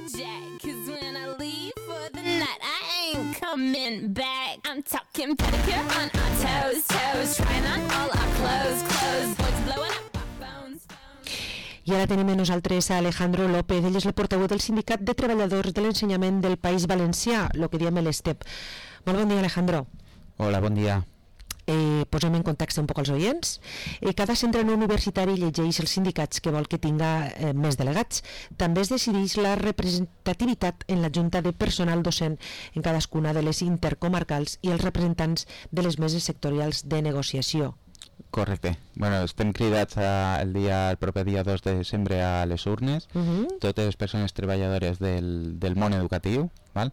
jack, 'cause when I leave for the night, I ain't coming back. I'm talking pedicure on our toes, toes, trying on all our clothes, clothes, boys blowing up our phones. I ara tenim amb nosaltres a Alejandro López, ell és el portaveu del Sindicat de Treballadors de l'Ensenyament del País Valencià, el que diem l'ESTEP. Molt bon dia, Alejandro. Hola, bon dia. Posem en context un poc els oients. Cada centre no universitari llegeix els sindicats que vol que tinga més delegats. També es decideix la representativitat en la Junta de Personal Docent en cadascuna de les intercomarcals i els representants de les meses sectorials de negociació. Correcte. Bueno, estem cridats el proper dia 2 de desembre a les urnes, totes les persones treballadores del món educatiu, val?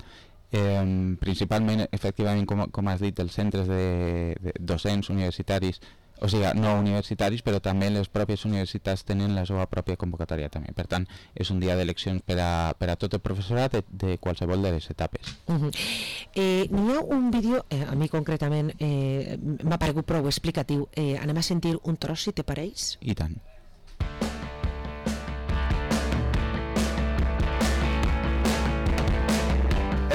Principalment, efectivament, com has dit, els centres de docents universitaris, o sigui, no universitaris, però també les pròpies universitats tenen la seva pròpia convocatòria també. Per tant, és un dia d'eleccions per a tot el professorat de qualsevol de les etapes. N'hi ha un vídeo, a mi concretament m'ha paregut prou explicatiu. Anem a sentir un tros, si te pareix? I tant.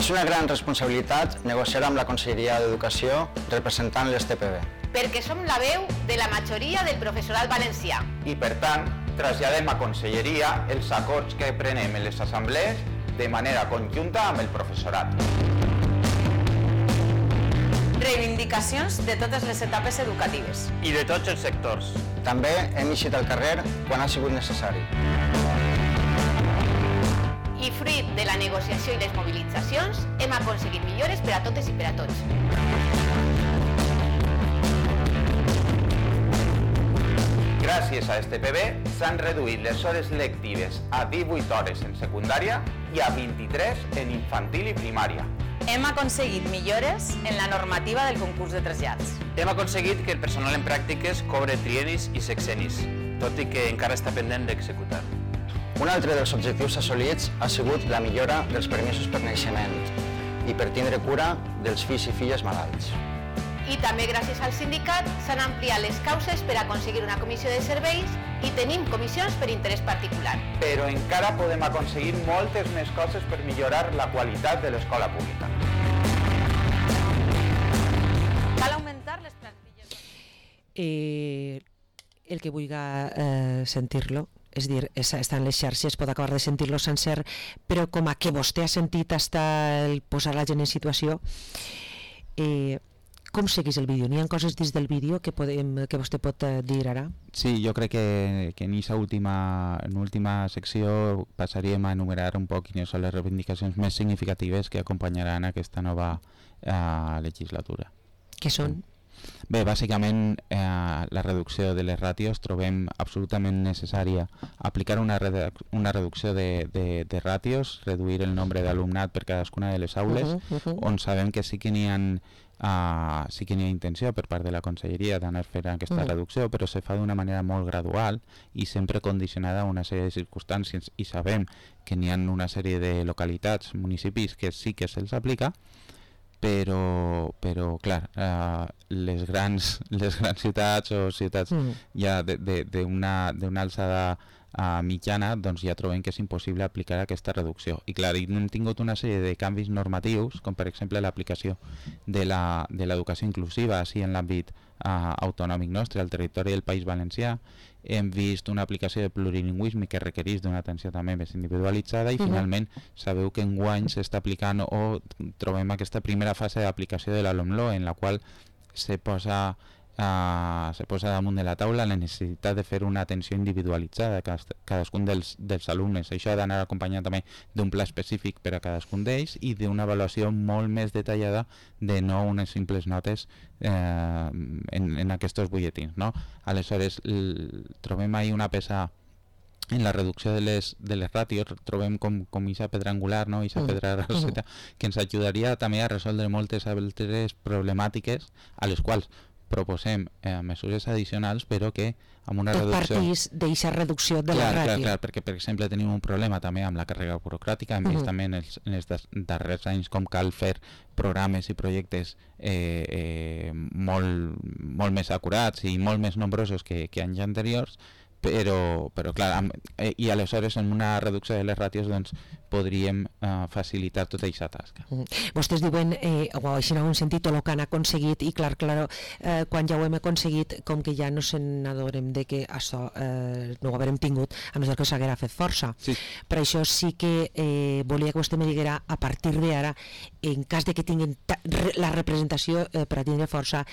És una gran responsabilitat negociar amb la Conselleria d'Educació representant l'ESTPB. Perquè som la veu de la majoria del professorat valencià. I per tant, traslladem a Conselleria els acords que prenem en les assemblees de manera conjunta amb el professorat. Reivindicacions de totes les etapes educatives. I de tots els sectors. També hem eixit al carrer quan ha sigut necessari. I fruit de la negociació i les mobilitzacions hem aconseguit millores per a totes i per a tots. Gràcies a STPB s'han reduït les hores lectives a 18 hores en secundària i a 23 en infantil i primària. Hem aconseguit millores en la normativa del concurs de trasllats. Hem aconseguit que el personal en pràctiques cobre trienis i sexenis, tot i que encara està pendent d'executar. Un altre dels objectius assolits ha sigut la millora dels permisos per naixement i per tindre cura dels fills i filles malalts. I també gràcies al sindicat s'han ampliat les causes per aconseguir una comissió de serveis i tenim comissions per interès particular. Però encara podem aconseguir moltes més coses per millorar la qualitat de l'escola pública. Cal augmentar les plantilles. El que vulgui sentir-lo, és dir, està en les xarxes, pot acabar de sentir-lo sencer, però com a que vostè ha sentit hasta el posar la gent en situació, com seguís el vídeo? N'hi ha coses dins del vídeo que vostè pot dir ara? Sí, jo crec que en aquesta última secció passaríem a enumerar un poc quines són les reivindicacions més significatives que acompanyaran aquesta nova legislatura. Què són? Bé, bàsicament la reducció de les ràtios trobem absolutament necessària aplicar una reducció de ràtios, reduir el nombre d'alumnat per cadascuna de les aules, on sabem que sí que n'hi ha intenció per part de la Conselleria d'anar fent aquesta reducció, però se fa d'una manera molt gradual i sempre condicionada a una sèrie de circumstàncies, i sabem que n'hi ha una sèrie de localitats, municipis que sí que se'ls aplica, però clar, les grans ciutats o ciutats ja d'una alçada mitjana, doncs ja trobem que és impossible aplicar aquesta reducció. I clar, hem tingut una sèrie de canvis normatius, com per exemple l'aplicació de l'educació inclusiva així en l'àmbit autonòmic nostre, al territori del País Valencià. Hem vist una aplicació de plurilingüisme que requereix d'una atenció també més individualitzada i finalment sabeu que enguany s'està aplicant o trobem aquesta primera fase d'aplicació de la LOMLOE, en la qual se posa damunt de la taula la necessitat de fer una atenció individualitzada a cadascun dels alumnes. Això ha d'anar acompanyat també d'un pla específic per a cadascun d'ells i d'una avaluació molt més detallada de no unes simples notes en aquests butlletins, no? Aleshores, trobem ahí una peça en la reducció de les ràtios, trobem com aquesta pedra angular, no? Aquesta pedra roseta, que ens ajudaria també a resoldre moltes altres problemàtiques a les quals proposem mesures addicionals, però que amb una reducció... Partís d'eixa reducció de la ràtio. Clar, perquè per exemple tenim un problema també amb la càrrega burocràtica, hem vist també en els darrers anys com cal fer programes i projectes molt més acurats i molt més nombrosos que anys anteriors, però clar, i aleshores en una reducció de les ràtios doncs podríem facilitar tota aquesta tasca. Vostès diuen, o així en un sentit, el que han aconseguit, i clar, quan ja ho hem aconseguit, com que ja no se n'adorem de que això no ho haurem tingut, a no ser que s'haguera fet força. Sí. Per això sí que volia que vostè me diguera, a partir d'ara, en cas de que tinguin la representació per a tindre força,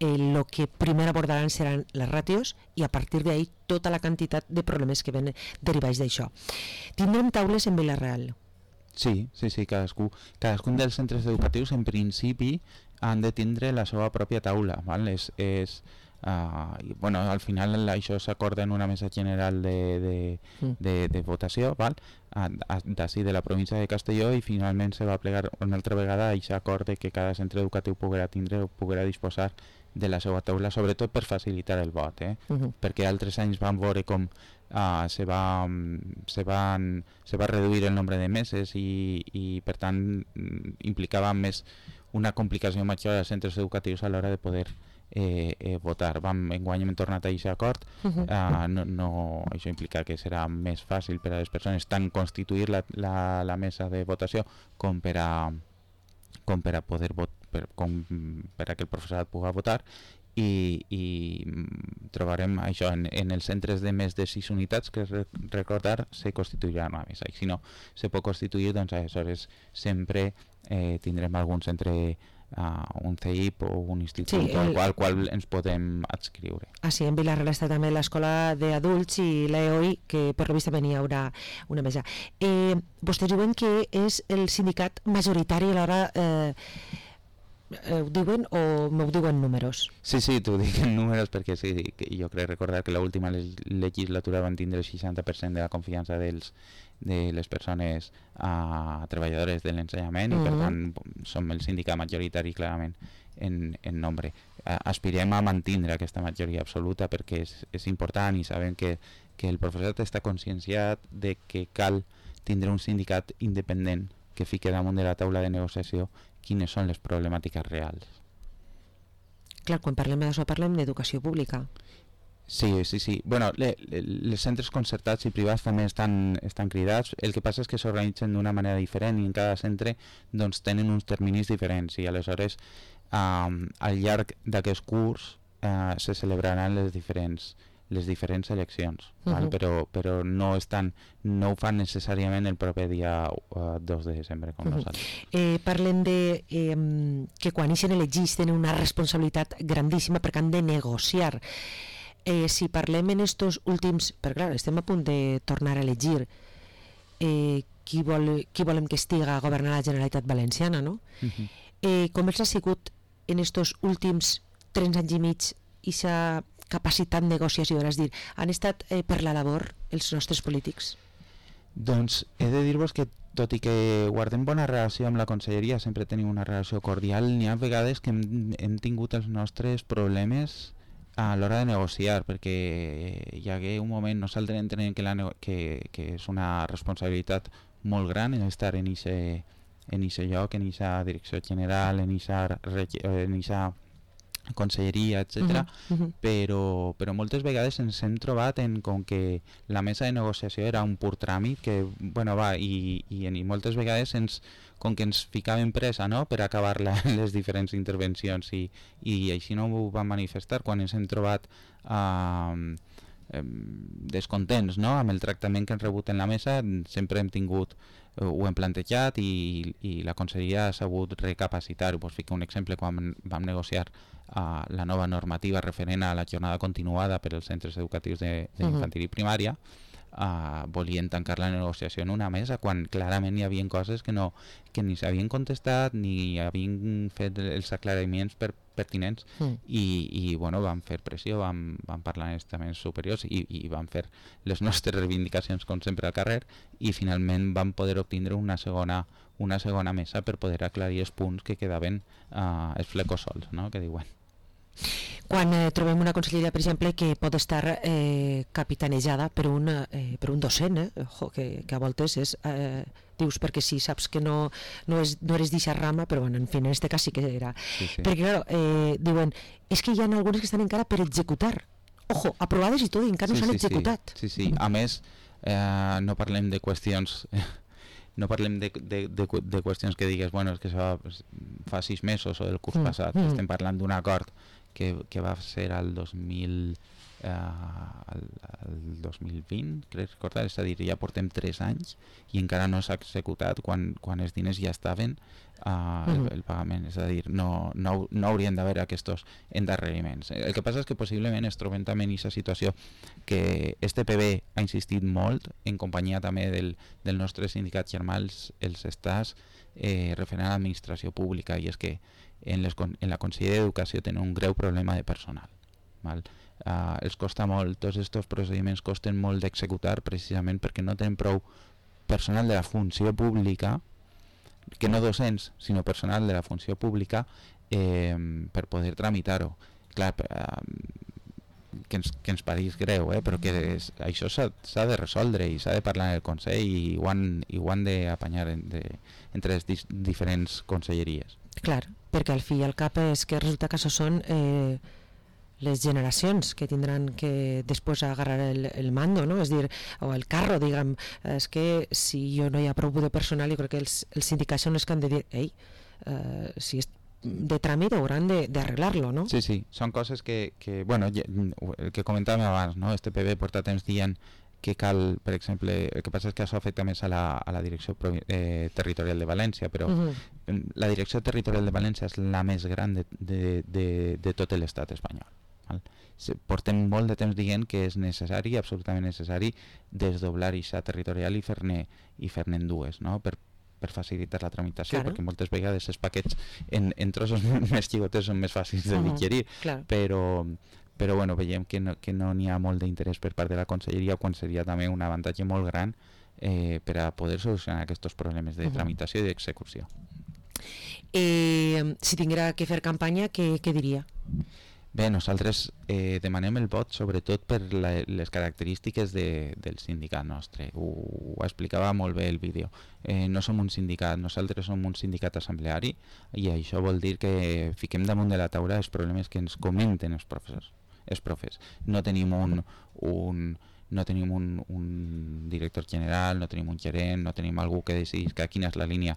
el que primer abordaran seran les ràtios i a partir d'ahí tota la quantitat de problemes que ven derivats d'això. Tindrem taules en Vila-real? Sí, cadascun dels centres educatius en principi han de tindre la seva pròpia taula, val? Al final això s'acorda en una mesa general de votació, val? D'ací de la província de Castelló, i finalment se va plegar una altra vegada aquest acord de que cada centre educatiu poguera tindre o poguera disposar de la seva taula, sobretot per facilitar el vot, perquè altres anys vam veure com se va reduir el nombre de meses i per tant implicava més una complicació major als centres educatius a l'hora de poder votar. Enguany hem tornat a aquest acord. Això implica que serà més fàcil per a les persones tant constituir la mesa de votació com per a poder votar, per a que el professorat pugui votar, i trobarem això en els centres de més de 6 unitats, que recordar se constituirà una mesa, i si no se pot constituir, doncs aleshores sempre tindrem algun centre, un CEIP o un institut al qual ens podem adscriure. Sí, en Vila-real està també l'escola d'adults i l'EOI, que per la vista venia haurà una mesa. Vostès diuen que és el sindicat majoritari a l'hora... ho diuen o m'ho diuen números? Sí, t'ho dic en números perquè sí, jo crec recordar que l'última legislatura van tindre el 60% de la confiança de les persones treballadores de l'ensenyament, i per tant som el sindicat majoritari clarament en nombre. Aspirem a mantindre aquesta majoria absoluta perquè és important, i sabem que el professorat està conscienciat de que cal tindre un sindicat independent que fique damunt de la taula de negociació quines són les problemàtiques reals. Clar, quan parlem d'això parlem d'educació pública. Sí. Bueno, els centres concertats i privats també estan cridats. El que passa és que s'organitzen d'una manera diferent i en cada centre doncs, tenen uns terminis diferents, i aleshores al llarg d'aquest curs se celebraran les diferents eleccions, però no ho fan necessàriament el proper dia 2 de desembre com nosaltres. Parlen de que quan ixen elegits tenen una responsabilitat grandíssima perquè han de negociar. Si parlem en estos últims, perquè clar, estem a punt de tornar a elegir qui volem que estiga governant la Generalitat Valenciana, no? Com els ha sigut en estos últims 3 anys i mig aquesta capacitat de negociació, és dir, han estat per la labor els nostres polítics? Doncs he de dir-vos que tot i que guardem bona relació amb la conselleria, sempre tenim una relació cordial, n'hi ha vegades que hem tingut els nostres problemes a l'hora de negociar, perquè hi hagué un moment, nosaltres entenem que és una responsabilitat molt gran estar en aquest lloc, en aquesta direcció general, en aquesta conselleria, etc. Però moltes vegades ens hem trobat com que la mesa de negociació era un pur tràmit que, i moltes vegades com que ens ficàvem pressa, no?, per acabar les diferents intervencions, i així no ho vam manifestar quan ens hem trobat descontents, no?, amb el tractament que hem rebut en la mesa. Sempre ho hem plantejat i la conselleria ha sabut recapacitar-ho. Us fico un exemple: quan vam negociar la nova normativa referent a la jornada continuada per als centres educatius d'infantil i primària, volien tancar la negociació en una mesa quan clarament hi havia coses que ni s'havien contestat ni havien fet els aclariments pertinents, i vam fer pressió, vam parlar en estaments superiors i vam fer les nostres reivindicacions com sempre al carrer, i finalment vam poder obtindre una segona mesa per poder aclarir els punts que quedaven els flecos sols, no?, que diuen. Quan trobem una conselleria, per exemple, que pot estar capitanejada per un docent, que a voltes és, dius, perquè sí, saps que no eres d'eixa rama, però en fi, en este cas sí que era. Sí. Perquè, clar, diuen, és que hi ha algunes que estan encara per executar, ojo, aprovades i tot, i encara no s'han executat. Sí. A més, no parlem de qüestions... No parlem de qüestions que digues, bueno, és que això fa 6 mesos o del curs passat. Estem parlant d'un acord que va ser el 2020, crec recordar, és a dir, ja portem 3 anys i encara no s'ha executat quan els diners ja estaven el pagament, és a dir, no haurien d'haver aquests endarreriments. El que passa és que possiblement es trobem també en aquesta situació que este PB ha insistit molt, en companyia també del nostre sindicat germà, els estàs referent a l'administració pública, i és que en la Conselleria d'Educació tenen un greu problema de personal, val? Els costa molt, tots aquests procediments costen molt d'executar precisament perquè no tenen prou personal de la funció pública, que no docents, sinó personal de la funció pública, per poder tramitar-ho. Clar, que ens pareix greu, però que això s'ha de resoldre i s'ha de parlar en el Consell i ho han d'apanyar entre les diferents conselleries. Clar, perquè al fi i al cap és que resulta que això són les generacions que tindran que després agarrar el mando, no? És dir, o el carro, diguem. És que si no hi ha prou de personal, jo crec que els sindicats són els que han de dir, si és de tràmit hauran d'arreglar-lo, no? Sí, són coses que bueno, el que comentàvem abans, no? Este PB porta temps dient que cal, per exemple, el que passa és que això afecta més a la direcció territorial de València, però la direcció territorial de València és la més gran de tot l'estat espanyol. Portem molt de temps dient que és necessari, absolutament necessari, desdoblar aquesta territorial i fer-ne en dues, no? Per facilitar la tramitació, perquè moltes vegades els paquets en trossos més xicotes són més fàcils de digerir, però bueno, veiem que no n'hi ha molt d'interès per part de la Conselleria, quan seria també un avantatge molt gran per a poder solucionar aquests problemes de tramitació i d'execució. Si tinguera que fer campanya, què diria? Bé, nosaltres demanem el vot sobretot per les característiques del sindicat nostre. Ho explicava molt bé el vídeo. No som un sindicat, nosaltres som un sindicat assembleari, i això vol dir que fiquem damunt de la taula els problemes que ens comenten els profes. No tenim un director general, no tenim un gerent, no tenim algú que decidís quina és la línia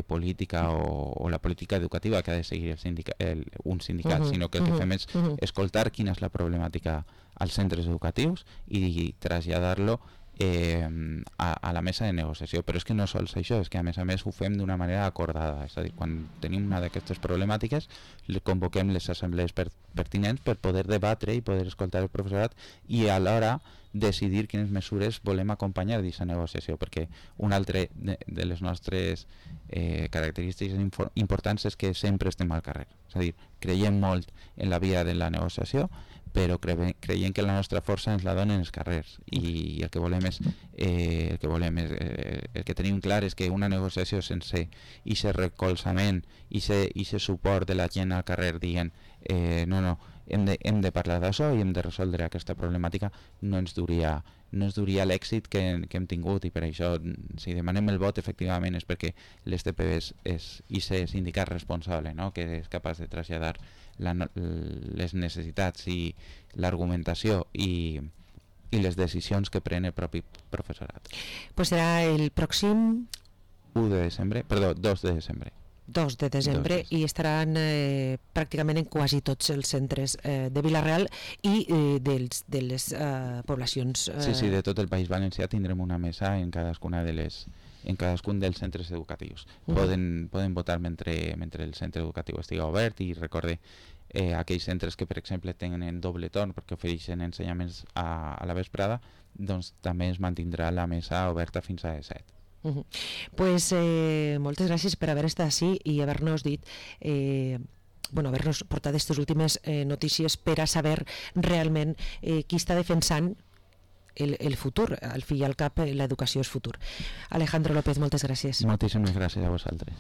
política o la política educativa que ha de seguir un sindicat, sinó que el que fem és escoltar quina és la problemàtica als centres educatius i traslladar-lo a la mesa de negociació. Però és que no sols això, és que a més ho fem d'una manera acordada, és a dir, quan tenim una d'aquestes problemàtiques convoquem les assemblees pertinents per poder debatre i poder escoltar el professorat i alhora decidir quines mesures volem acompanyar d'aquesta negociació, perquè una altra de les nostres característiques importants és que sempre estem al carrer, és a dir, creiem molt en la via de la negociació, però creiem que la nostra força ens la donen els carrers, i el que tenim clar és que una negociació sense aquest recolzament i aquest suport de la gent al carrer dient no, hem de parlar d'això i hem de resoldre aquesta problemàtica, no ens duria l'èxit que hem tingut, i per això si demanem el vot efectivament és perquè l'STPB és aquest sindicat responsable, no? Que és capaç de traslladar les necessitats i l'argumentació i les decisions que pren el propi professorat. Pues serà el pròxim 2 de desembre. 2 de desembre i estaran pràcticament en quasi tots els centres de Vila-real i de les poblacions. Sí, de tot el País Valencià tindrem una mesa en cadascun dels centres educatius. Poden votar mentre el centre educatiu estigui obert, i recorde aquells centres que, per exemple, tenen doble torn perquè ofereixen ensenyaments a la vesprada, doncs també es mantindrà la mesa oberta fins a les 7. Pues moltes gràcies per haver estat així i haver-nos dit haver-nos portat aquestes últimes notícies per a saber realment qui està defensant el futur. Al fi i al cap l'educació és futur. Alejandro López, moltes gràcies. Moltíssimes gràcies a vosaltres.